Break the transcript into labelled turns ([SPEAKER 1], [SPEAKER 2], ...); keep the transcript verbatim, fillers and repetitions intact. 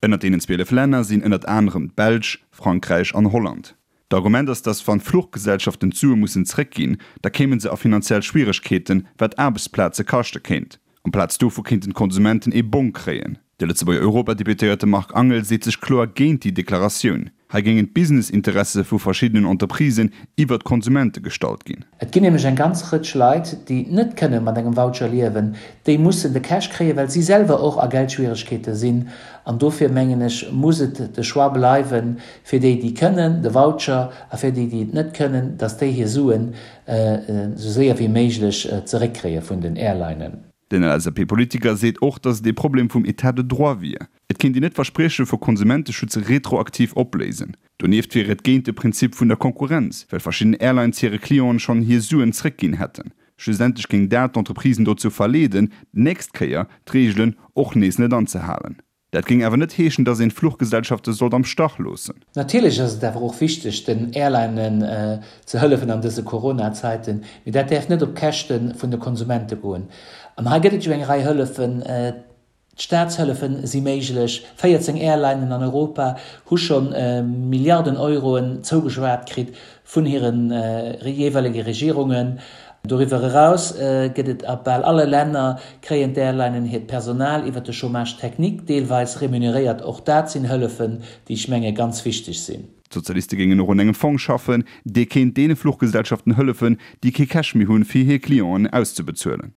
[SPEAKER 1] Ënnert deenen zwielef Länner sinn ënnert anerem d'Belsch, Frankräich an Holland. D'Argument ass, dass wann Fluchgesellschaften d'Sue mussen zréckginn, da kéimen se a finanziell Schwieregkeeten, wat Aarbechtsplaze kaschte kéint. Amplaz dovu kéinten d'Konsumenten ee Bong kréien. De Lëtzebuerger Europadeputéierte Marc Angel seet sech kloer géint déi Deklaratioun. Hei géingen d'Business-Interesse vu verschiddenen Entreprisen iwwer d'Konsumente gestallt ginn.
[SPEAKER 2] Et ginn nämlech eng ganz Rëtsch Leit, déi net kënne mat engem Voucher liewen. Déi mussen de Cash kréien, well si selwer och a Geldschwieregkeete sinn. An dofir, mengen ech, muss et de Choix bleiwen, fir déi, déi kënnen, de Voucher, a fir déi, déi et net kënnen, dass déi hir Suen esou séier wéi méiglech zeréckkréie vun den Airlinen.
[SPEAKER 1] Den L S A P-Politiker seet och, datt et ee Problem vum État de droit wier. Et kéint een net Versprieche vu Konsumenteschutz retroaktiv opléisen. Donieft wier et géint de Prinzip vun der Konkurrenz, well verschidden Airlines hire Clienten schonn hir Suen zréckginn hätten. Schlussendlech géing dat d'Entreprisen dozou verleeden, d'nächst Kéier d'Reegelen och nees net anzehalen. Dat géing awer net heeschen, datt een d'Fluchgesellschafte sollt am Stach loossen.
[SPEAKER 2] Natierlech ass et awer och wichteg, den Airlinen ze hëllefen an dëse Corona-Zäiten, mee dat däerf net op Käschte vun de Konsumente goen. An hei gëtt et jo eng Rei Hëllefen. D'Staatshëllefe si méiglech. véierzéng Airlinen an Europa hu scho Milliarden Euroen zougeschwat kritt vun hire jeeweilege Regierungen. Doriwwer eraus gëtt et a bal alle Länner, kréien d'Airlinen hiert Personal iwwer de Chômage technique deelweis remuneréiert. Och dat sinn Hëllefen, déi ech menge ganz wichteg sinn.
[SPEAKER 1] D'Sozialiste géingen och un engem Fong schaffen, dee kéint deene Fluchgesellschaften hëllefen, déi kee Cash méi hunn, fir hir Clienten auszebezuelen.